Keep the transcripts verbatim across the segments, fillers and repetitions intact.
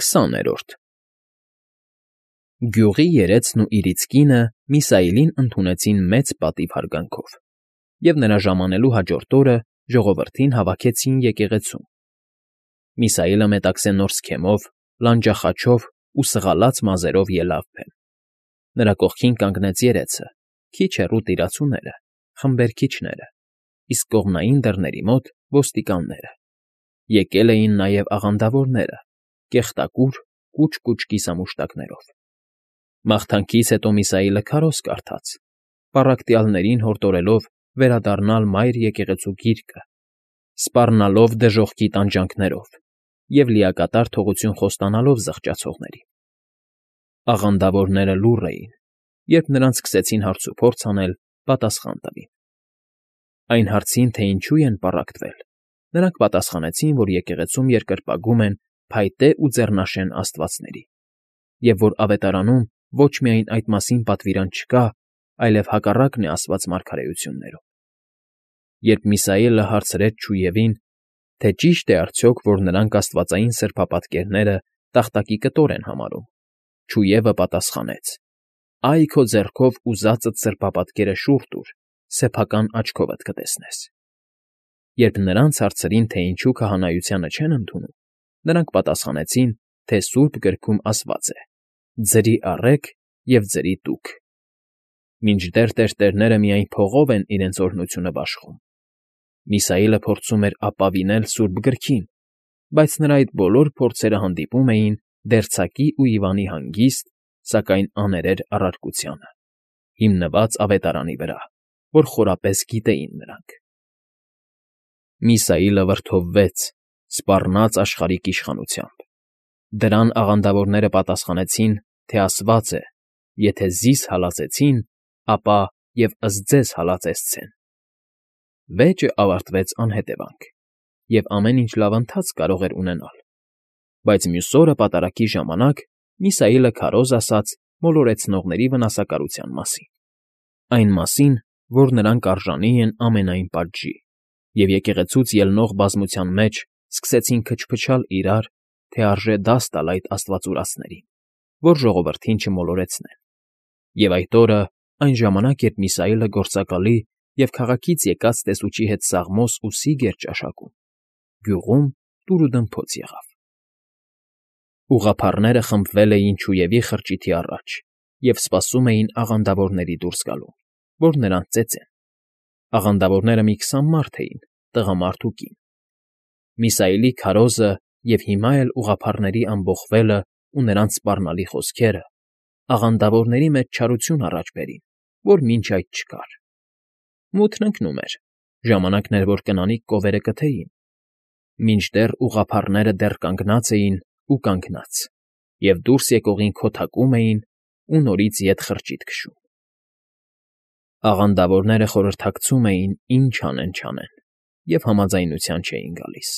Քսաներորդ Գյուղի երեցն ու իրից կինը Միսայելին ընդունեցին մեծ պատիվ հարգանքով, և նրա ժամանելու հաջորդ օրը ժողովրդին հավաքեցին եկեղեցում. Միսայելը մետաքսե նոր սքեմով, լանջախաչով ու սղալած մազերով ելավ բեմ. նրա կողքին կանգնեց երեցը, քիչ հեռու տիրացուները, խմբերքիչները, իսկ կողմնային դռների մոտ՝ ոստիկանները. եկել էին նաև աղանդավորները՝ կեղտակուր, կուչ֊կուչ կիսամուշտակներով։ Մաղթանքից հետո Միսայելը քարոզ կարդաց, պառակտյալներին հորդորելով վերադառնալ Մայր եկեղեցու գիրկը, սպառնալով դժոխքի տանջանքներով և լիակատար թողություն խոստանալով զղջացողներին։ Աղանդավորները լուռ էին, երբ նրանց սկսեցին հարցուփորձ անել, պատասխան տվին։ Այն հարցին, թե ինչու են պառակտվել, նրանք պատասխանեցին, որ եկեղեցում երկրպագում են փայտե ու ձեռնաշեն աստվածների, և որ ավետարանում ոչ միայն այդ մասին պատվիրան չկա, այլև հակառակն է ասված մարգարեություններում։ Երբ Միսայելը հարցրեց չուևին, թե ճի՞շտ է արդյոք, որ նրանք աստվածային սրբապատկերները տախտակի կտոր են համարում, չուևը պատասխանեց. «Այ քո ձեռքով ուզածդ սրբապատկերը շուռ տուր, սեփական աչքովդ կտեսնես»։ Երբ նրանց հարցրին, թե ինչու քահանայությանը չեն ընդունում, նրանք պատասխանեցին, թե սուրբ գրքում ասված է. «Ձրի առեք և ձրի տուք»։ Մինչդեռ տերտերները միայն փողով են իրենց օրհնությունը բաշխում։ Միսայելը փորձում էր ապավինել սուրբ գրքին, բայց նրա այդ բոլոր փորձերը հանդիպում էին դերձակի ու Իվանի հանգիստ, սակայն աներեր առարկությանը, հիմնված ավետարանի վրա, որ խորապես գիտեին նրանք։ Միսայելը վրդովվեց, սպառնաց աշխարհիկ իշխանությամբ։ Դրան աղանդավորները պատասխանեցին, թե ասված է. «Եթե զիս հալածեցին, ապա և ըստ ձեզ հալածեցցեն»։ Վեճը ավարտվեց անհետևանք, և ամեն ինչ լավ ընթացք կարող էր ունենալ։ Բայց մյուս օրը պատարագի ժամանակ Միսայելը քարոզ ասաց մոլորեցնողների վնասակարության մասին, այն մասին, որ նրանք արժանի են ամենայն պատժի, և եկեղեցուց ելնող բազմության մեջ սկսեցին քչփչալ իրար, թե արժե դաս տալ այդ աստվածուրացներին, որ ժողովրդին չմոլորեցնեն։ Եվ այդ օրը, այն ժամանակ, երբ Միսայելը գործակալի և քաղաքից եկած տեսուչի հետ սաղմոս ու սիգ էր ճաշակում, գյուղում տուրուդմփոց եղավ։ Ուղղափառները խմբվել էին չուևի խրճիթի առաջ և սպասում էին աղանդավորների դուրս գալուն, որ նրանց ծեծեն։ Աղանդավորները մի քսան մարդ էին, տղամարդ ու կին։ Միսայելի քարոզը և հիմա էլ ուղղափառների ամբոխվելն ու նրանց սպառնալի խոսքերը աղանդավորների մեջ չարություն առաջ բերին, որ մինչ այդ չկար։ Մութն ընկնում էր, ժամանակն էր, որ կնանիկ կովերը կթեին, մինչդեռ ուղղափառները դեռ կանգնած էին ու կանգնած, և դուրս եկողին քոթակում էին ու նորից ետ խրճիթ քշում։ Աղանդավորները խորհրդակցում էին, ինչ անեն֊չանեն, և համաձայնության չէին գալիս։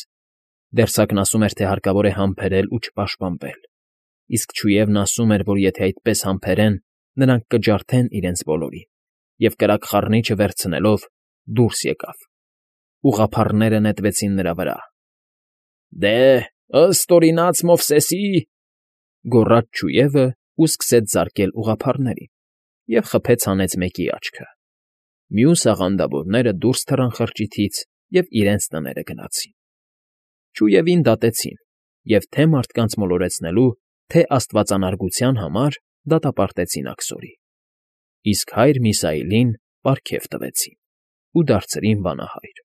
Դերձակն ասում էր, թե հարկավոր է համբերել ու չպաշտպանվել, իսկ չուևն ասում էր, որ եթե այդպես համբերեն, նրանք կջարդեն իրենց բոլորին, և կրակ խառնիչը վերցնելով դուրս եկավ։ Ուղղափառները նետվեցին նրա վրա։ «Դե, ըստ օրինած Մովսեսի…»։ Գոռաց չուևն ու սկսեց զարկել ուղղափառներին և խփեց հանեց մեկի աչքը։ Մյուս աղանդավորները դուրս թռան խրճիթից և իրենց տները գնացին։ Չուևին դատեցին և թե՛ մարդկանց մոլորեցնելու, թե՛ աստվածանարգության համար դատապարտեցին աքսորի, իսկ հայր Միսայելին պարգև տվեցին ու դարձրին վանահայր։